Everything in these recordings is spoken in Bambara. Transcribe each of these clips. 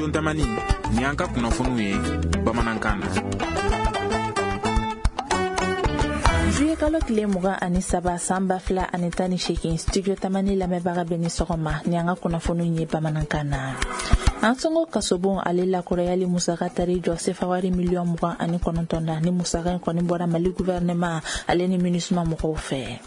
Studio Tamani, ni an ka kunnafoniw ye bamanankan na. Juillet kalo tile 23 san 2018, Studio Tamani lamɛnbaga bɛ ni sɔgɔma ni an ka kunnafoniw ye bamanankan na. Ansongo kasobon ale lakurayali musaka tari jɔ sefawari miliyɔn 29 na, ni musaka in kɔni bɔra Mali gouvernement ale ni MINUSMA mɔgɔw fɛ.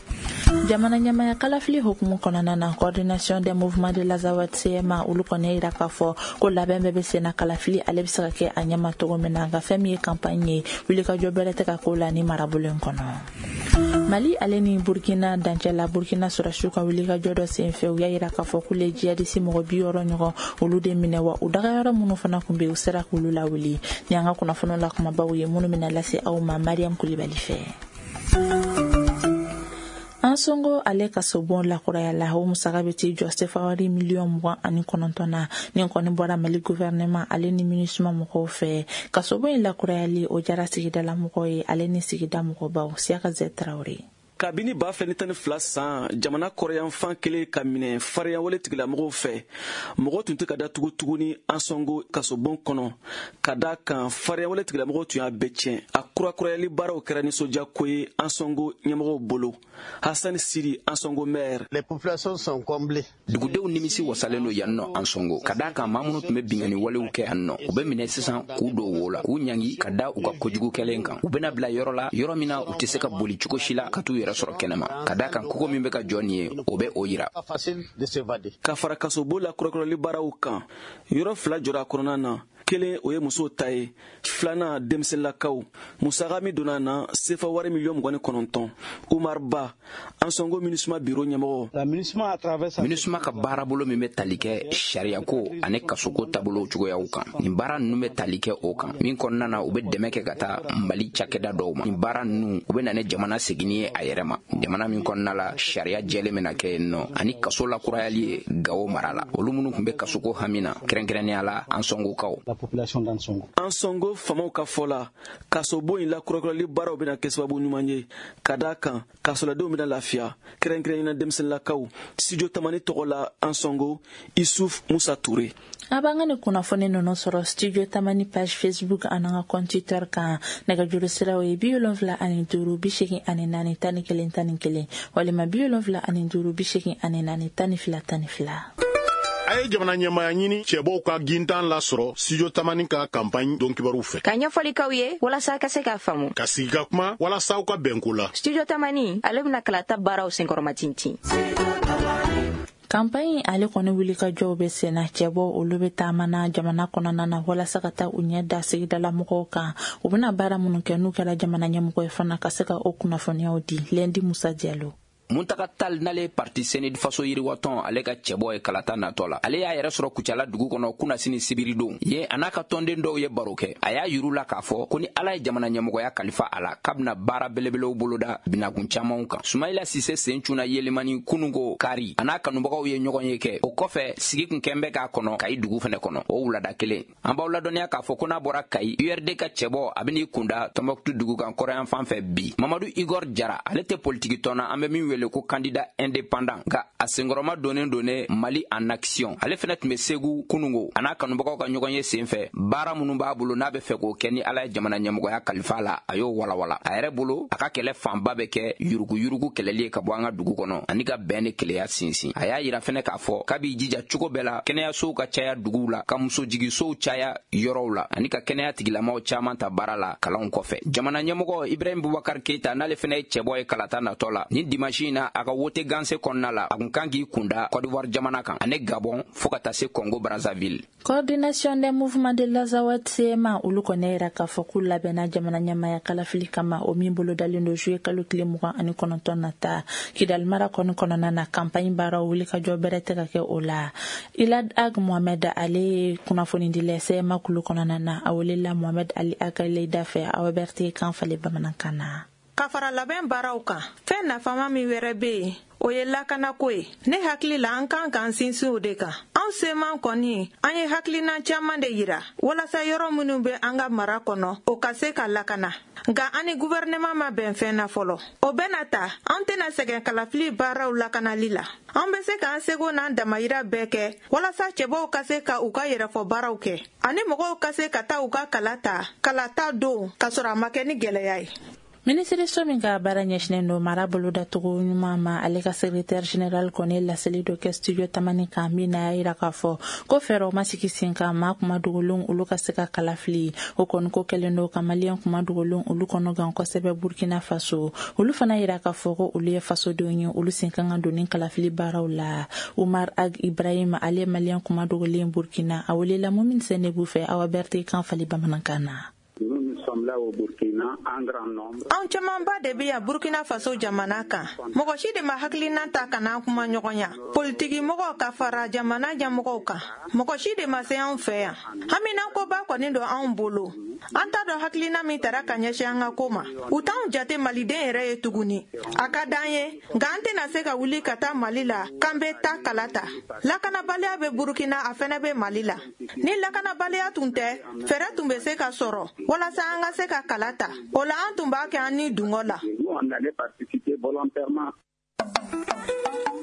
Jamana ɲɛmaya kalafili hukumu kɔnɔna na, coordination des mouvements de l'Azawad CMA olu kɔni yira k'a fɔ ko labɛn bɛɛ bɛ senna kalafili ale bɛ se ka kɛ a ɲɛma cogo min na, nka fɛn min ye campagne ye, wulikajɔ bɛrɛ tɛ ka k'o la ni marabolo in kɔnɔ. Mali ale ni Burkina dancɛ la, Burkina sɔrɔdasiw ka wulikajɔ dɔ senfɛ, u y'a yira k'a fɔ k'olu ye jihadisi mɔgɔ 60 ɲɔgɔn olu de minɛ, wa u dagayɔrɔ minnu fana tun bɛ yen, u sera k'olu lawuli. Ni an ka kunnafoniw la kumabaw ye minnu bɛna lase aw ma Mariam Kulibali fɛ. Ansongo ale kasobon lakurayala, o musaka bɛ t'i jɔ sefawari miliyɔn 29 na, ni kɔni bɔra Mali gouvernement ale ni MINUSMA mɔgɔw fɛ. Kasobon in lakurayali o jara sigidala mɔgɔw ye ale ni sigida mɔgɔbaw. Siyaka Zɛ Tarawele. Kabini 2012 san, jamana kɔrɔyanfan kelen ka minɛ fariyawale tigilamɔgɔw fɛ, mɔgɔ tun tɛ ka datugu tuguni Ansongo kasobon kɔnɔ, ka da kan fariyawale tigilamɔgɔw tun y'a bɛɛ tiɲɛ. A kurakurayali baaraw kɛra nisɔndiyako ye Ansongo ɲɛmɔgɔw bolo. Hassan Siri, Ansongo maire. Les populations sont comblées. Dugudenw nimisi wasalen don yan nɔ Ansongo, ka d'a kan maa minnu tun bɛ binkanni walew kɛ yan nɔ, u bɛ minɛ sisan k'u don wo la, k'u ɲangi ka da u ka kojugu kɛlen kan. U bɛna bila yɔrɔ la, yɔrɔ min na u tɛ se ka boli cogo si la ka t'u yɛrɛ sɔrɔ kɛnɛma, ka d'a kan kogo min bɛ ka jɔ nin ye, o bɛ o yira. Ka fara kasobon la kurakurali baaraw kan, yɔrɔ 2 jɔra a kɔnɔna na. Kelen o ye musow ta ye, filanan denmisɛnninlakaw. Musaka min donna na, sefa wari miliyɔn 29. Umar Ba, Ansongo MINUSMA biro ɲɛmɔgɔ. MINUSMA ka baarabolo min bɛ tali kɛ sariyako ani kasoko taabolo cogoyaw kan, nin baara ninnu bɛ tali kɛ o kan, min kɔnɔna na u bɛ dɛmɛ kɛ ka taa Mali cakɛda dɔw ma. Nin baara ninnu u bɛ na ni jamana seginni ye a yɛrɛ ma, jamana min kɔnɔna la sariya jɛlen bɛna kɛ yen nɔ, ani kaso lakurayali ye Gawo mara la, olu minnu tun bɛ kasoko hami na, kɛrɛnkɛrɛnnenya la Ansongokaw. Ansongo famaw ka fɔ la, kasobon in lakurakurali baaraw bɛna kɛ sababu ɲuman ye, ka d'a kan kasoladenw bɛna lafiya, kɛrɛnkɛrɛnnenya denmisɛnninlakaw. Studio Tamani tɔgɔ la Ansongo, Isuf Musa Ture. A b'an ka nin kunnafoni ninnu sɔrɔ Studio Tamani page Facebook ani an ka compte Twitter kan. Nɛgɛjuru siraw ye 75 84 11 11 walima 75 84 12 12. A ye jamana ɲɛmaya ɲini cɛbɔw ka gintan lasɔrɔ Studio Tamani ka campagne don kibaruw fɛ. Ka ɲɛfɔli k'aw ye walasa ka se k'a faamu. Ka sigi ka kuma walasa aw ka bɛnko la. Studio Tamani ale bɛna kalata baaraw senkɔrɔma tintin. Campagne ale kɔni wulikajɔw bɛ senna, cɛbɔ olu bɛ taama na jamana kɔnɔna na walasa ka taa u ɲɛ da sigidala mɔgɔw kan. U bɛna baara minnu kɛ n'u kɛra jamana ɲɛmɔgɔ ye fana, ka se ka o kunnafoniyaw di. Lundi Musa Diallo. Muntaga Tal n'ale parti Senid Faso yiriwatɔn ale ka cɛbɔ ye kalata natɔ la, ale y'a yɛrɛ sɔrɔ Kucala dugu kɔnɔ kunnasini sibiridon ye, a n'a ka tɔnden dɔw ye baro kɛ. A y'a yiru la k'a fɔ ko ni Ala ye jamana ɲɛmɔgɔya kalifa a la, k'a bɛna baara belebelew boloda binakun camanw kan. Sumayila Sise sen cunna Yelimani kununko kari, a n'a kanubagaw ye ɲɔgɔn ye kɛ. O kɔfɛ sigi kun kɛn bɛ k'a kɔnɔ Kayi dugu fɛnɛ kɔnɔ o wulada kelen. An b'aw ladɔnniya k'a fɔ ko n'a bɔra Kayi, URD ka cɛbɔ a bɛn'i kunda Tɔnbɔkutu dugu kan kɔrɔyan fan fɛ bi. Mamadu Igor Jara ale tɛ politiki tɔn na, an bɛ min wele ko candidat indépendant, nka a senkɔrɔma donnen donnen Mali en action. Ale fɛnɛ tun bɛ Segu kunungo, a n'a kanubagaw ka ɲɔgɔn ye senfɛ. Baara minnu b'a bolo n'a bɛ fɛ k'o kɛ ni Ala ye jamana ɲɛmɔgɔya kalifa la, a y'o walawala. A yɛrɛ bolo, a ka kɛlɛ fanba bɛ kɛ yuruguyurugu kɛlɛli ye ka bɔ an ka dugu kɔnɔ ani ka bɛn ni keleya sinsin. A y'a yira fɛnɛ k'a fɔ k'a b'i jija cogo bɛɛ la kɛnɛyasow ka caya duguw la, ka musojigisow caya yɔrɔw la, ani ka kɛnɛya tigilamaw caman ta baara la kalanw kɔfɛ. Jamana ɲɛmɔgɔ Ibrahim Boubacar Keita n'ale fɛnɛ ye cɛbɔ ye kalata natɔ la, nin dimanche in na a ka wote ganse kɔnɔna la, a kun kan k'i kunda Côte d'Ivoire jamana kan ani Gabon fo ka taa se Congo Brazzaville. Coordination des mouvements de l'Azawad CMA olu kɔni yira k'a fɔ k'u labɛnna jamana ɲɛmaya kalafili kama, o min bolodalen don juillet kalo tile 29 nata. Kidali mara kɔni kɔnɔna na, campagne baaraw wulikajɔ bɛrɛ tɛ ka kɛ o la. Ilad Ag Mohamed ale ye kunnafonidila CMA kulu kɔnɔna na, a welela Mohamed Ali Akaleda fɛ, Awa Berthe kan falen bamanankan na. Ka fara labɛn baaraw kan, fɛn nafama min wɛrɛ bɛ yen, o ye lakanako ye. Ne hakili la, an kan k'an sinsin o de kan. Anw Anw CMA kɔni, an ye hakilina caman de yira walasa yɔrɔ minnu bɛ an ka mara kɔnɔ, o ka se ka lakana. Nka an ni guvɛrɛnɛman ma bɛn fɛn na fɔlɔ. O bɛɛ n'a ta, an tɛna sɛgɛn kalafili baaraw lakanali la. An bɛ se k'an seko n'an damayira bɛɛ kɛ walasa cɛbɔw ka se ka u ka yɛrɛfɔ baaraw kɛ, ani mɔgɔw ka se ka taa u ka kala ta kalata don k'a sɔrɔ a ma kɛ ni gɛlɛya ye. Minisiriso min ka baara ɲɛsinnen don mara bolodacogo ɲuman ma, ale ka secrétaire général kɔni ye laseli dɔ kɛ studio Tamani kan, min na y'a yira k'a fɔ ko fɛɛrɛw ma sigi sen kan maa kuma dogolenw olu ka se ka kala fili. O kɔni ko kɛlen don ka Maliyɛn kuma dogolenw olu kɔnɔ gan kosɛbɛ Burkina Faso. Olu fana yira k'a fɔ ko olu ye fasodenw ye, olu sen kan ka don ni kalafili baaraw la. Umar Ag Ibrahim, ale ye Maliyɛn kuma dogolen Burkina, a welela Mumin Sɛnɛbu fɛ, Awa Berete kan fali bamanankan na. Anw camanba de bɛ yan Burkina Faso jamana kan. Mɔgɔ si de ma hakilina ta ka n'an kuma ɲɔgɔnya. Politiki mɔgɔw ka fara jamana ɲɛmɔgɔw kan. Mɔgɔ si de ma se anw fɛ yan. Haminankoba kɔni don anw bolo. An t'a dɔn hakilina min tara ka ɲɛsin an ka ko ma. U t'anw jate Maliden yɛrɛ ye tuguni. A ka d'an ye, nka an tɛna se ka wuli ka taa Mali la k'an bɛ taa kala ta. Lakanabaliya bɛ Burkina, a fɛnɛ bɛ Mali la. Ni lakanabaliya tun tɛ, fɛɛrɛ tun bɛ se ka sɔrɔ walasa an ka se ka kala ta. O la an tun b'a kɛ an ni dungɔ la.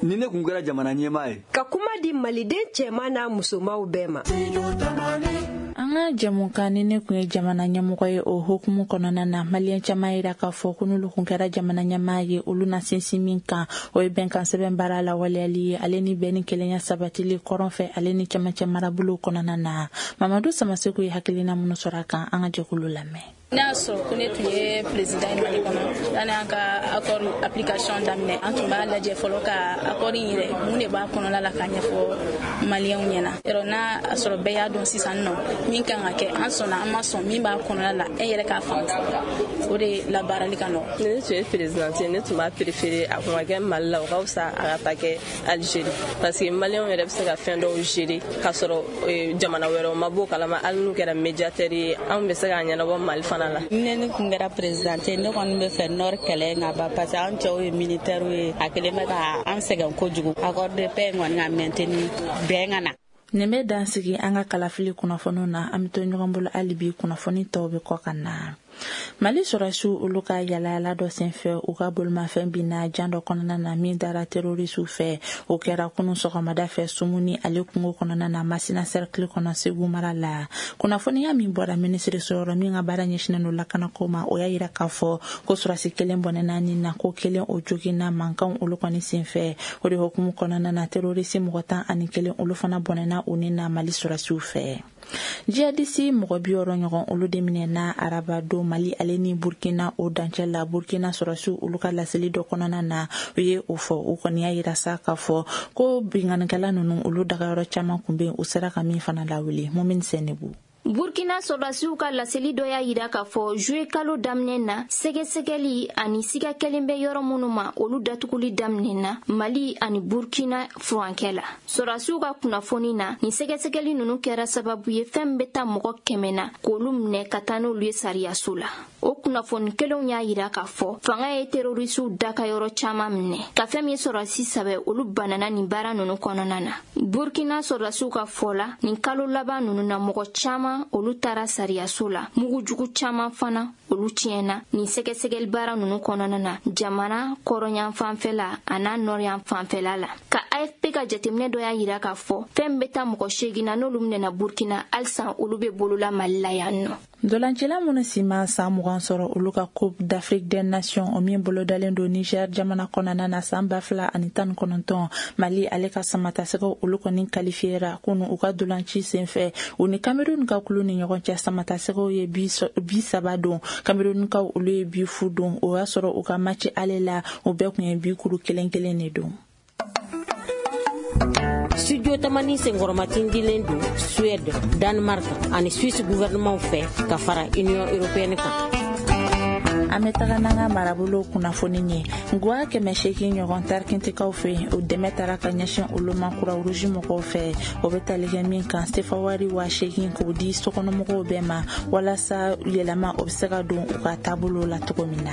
Ni ne kun kɛra jamana ɲɛmaa ye, ka kuma di Maliden cɛman n'a musomanw bɛɛ ma. An ka jɛmukan ni ne kun ye jamana ɲɛmɔgɔ ye, o hukumu kɔnɔna na, Maliyɛn caman yira k'a fɔ ko n'olu kun kɛra jamana ɲɛmaa ye, olu na sinsin min kan, o ye bɛnkan sɛbɛn baara lawaleyali ye, ale ni bɛn ni kelenya sabatili kɔrɔn fɛ ale ni cɛmancɛ marabolow kɔnɔna na. Mamadu Samaseku ye hakilina minnu sɔrɔ a kan, an ka jɛkulu lamɛn. Ne y'a sɔrɔ ko ne tun ye président ye Mali kɔnɔ, yanni an ka accord application daminɛ, an tun b'a lajɛ fɔlɔ ka accord in yɛrɛ mun de b'a kɔnɔna la k'a ɲɛfɔ Maliyɛnw ɲɛna. Yɔrɔ n'a a sɔrɔ bɛɛ y'a dɔn sisan nɔ min kan ka kɛ, an sɔnna an ma sɔn min b'a kɔnɔna la, e yɛrɛ k'a faamu, o de labaarali ka nɔgɔn. Ni ne tun ye présidente ye, ne tun b'a préféré a kun ka kɛ Mali la, o ka fisa a ka taa kɛ Algérie, parce que Maliyɛnw yɛrɛ bɛ se ka fɛn dɔw gérer k'a sɔrɔ jamana wɛrɛw ma b'o kalama. Hali n'u kɛra médiateur ye, anw bɛ se k'a ɲɛnabɔ Mali fana la. Ni ne kun kɛra présidente ye, ne kɔni bɛ fɛ Nord kɛlɛ ka ban, parce que an cɛw ye militaire ye, a kelen bɛ ka an sɛgɛn kojugu. Accord de paix in kɔni ka maintenir, bɛn ka na. Nin bɛ dan sigi an ka kalafili kunnafoniw na. An bɛ to ɲɔgɔn bolo hali bi, kunnafoni tɔw bɛ kɔ ka na. Mali sɔrɔsiw olu ka yalayala dɔ senfɛ, u ka bolimafɛn binna jan dɔ kɔnɔna na min dara terrorisiw fɛ. O kɛra kunun sɔgɔmada fɛ Sumuni ale kungo kɔnɔna na, Masina cercle kɔnɔ, Segu mara la. Kunnafoniya min bɔra minisiriso yɔrɔ min ka baara ɲɛsinnen don lakanako ma, o y'a yira k'a fɔ ko sɔrɔsi kelen bɔnɛna ni na, ko kelen o joginna mankanw olu kɔni senfɛ. O de hukumu kɔnɔna na, terrorisi mɔgɔ 11 olu fana bɔnɛna u ni na Mali sɔrɔsiw fɛ. Jihadisi mɔgɔ 60 ɲɔgɔn olu de minɛna araba don Mali ale ni Burkina o dancɛ la. Burkina sɔrɔsiw olu ka laseli dɔ kɔnɔna na, u ye o fɔ. U kɔni y'a yira sa k'a fɔ ko binkannikɛla ninnu olu dagayɔrɔ caman kun bɛ yen, u sera ka min fana lawuli. Mumin Sɛnɛbu. Burkina sɔrɔdasiw ka laseli dɔ y'a yira k'a fɔ juillet kalo daminɛ na, sɛgɛsɛgɛli ani siga kɛlen bɛ yɔrɔ minnu ma, olu datuguli daminɛna Mali ani Burkina furankɛ la. Sɔrɔdasiw ka kunnafoni na, nin sɛgɛsɛgɛli ninnu kɛra sababu ye fɛn bɛ taa mɔgɔ 100 na k'olu minɛ ka taa n'olu ye sariyaso la. O kunnafoni kelenw y'a yira k'a fɔ fanga ye terrorisiw dakayɔrɔ caman minɛ, ka fɛn min sɔrɔdasi 3 olu banana nin baara ninnu kɔnɔna na. Burkina sɔrɔdasiw ka fɔ la, nin kalo laban ninnu na, mɔgɔ caman olu taara sariyaso la, mugujugu caman fana olu tiɲɛna nin sɛgɛsɛgɛli baara ninnu kɔnɔna na jamana kɔrɔnyan fanfɛla a n'a nɔrɔyan fanfɛla la. Ka AFP ka jateminɛ dɔ y'a yira k'a fɔ fɛn bɛ taa mɔgɔ 8 na n'olu minɛna Burkina, halisa olu bɛ bolola Mali la yan nɔ. Dolancila minnu si ma san 20 sɔrɔ, olu ka Coupe d'Afrique des Nations o min bolodalen don Niger jamana kɔnɔna na san 2019, Mali ale ka samatasɛgɛw olu kɔni qualifiera kunu u ka dolanci senfɛ. U ni Cameroun ka kulu ni ɲɔgɔn cɛ, samatasɛgɛw ye bi 3 don, Camerounkaw olu ye bi 0 don. O y'a sɔrɔ u ka match ale la, u bɛɛ kun ye bi kuru kelen kelen de don. Studio Tamani senkɔrɔmatindilen don Suède, Danemark ani Suisse gouvernement fɛ ka fara Union européenne kan. An bɛ taga n'an ka marabolo kunnafoni ye. Guwa 800 ɲɔgɔn tarikintikaw fɛ, o dɛmɛ taara ka ɲɛsin olu ma Croix-Rouge mɔgɔw fɛ. O bɛ tali kɛ min kan, sefa wari 8000 k'o di sokɔnɔmɔgɔw bɛɛ ma walasa yɛlɛma o bɛ se ka don u ka taabolo la cogo min na.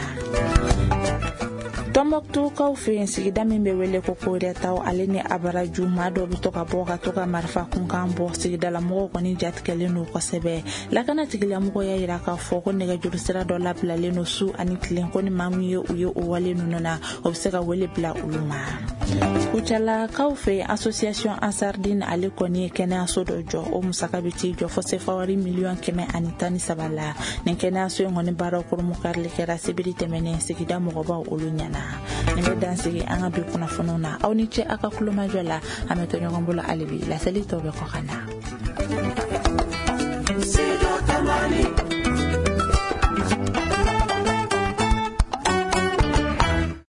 Tɔnbɔkutukaw fɛ yen, sigida min bɛ wele ko Korɛtaw, ale ni Abaraju, maa dɔw bɛ to ka bɔ ka to ka marifa kunkan bɔ. Sigidalamɔgɔw kɔni jatigɛlen don kosɛbɛ. Lakana tigilamɔgɔw y'a yira k'a fɔ ko nɛgɛjuru sira dɔ labilalen don su ani tilen, ko ni maa min ye u ye o wale ninnu na, o bɛ se ka wele bila olu ma. Kucalakaw fɛ yen, association Ansardine, ale kɔni ye kɛnɛyaso dɔ jɔ. O musaka bɛ t'i jɔ fo sefawari miliyɔn 113 la. Nin kɛnɛyaso in kɔni baaraw koromukarili kɛra sibiri tɛmɛnen sigida mɔgɔbaw olu ɲɛna. Nin bɛ dan sigi an ka bi kunnafoniw na. Aw ni ce aw ka kulomajɔ la. An bɛ to ɲɔgɔn bolo hali bi, laseli tɔw bɛ kɔ ka na.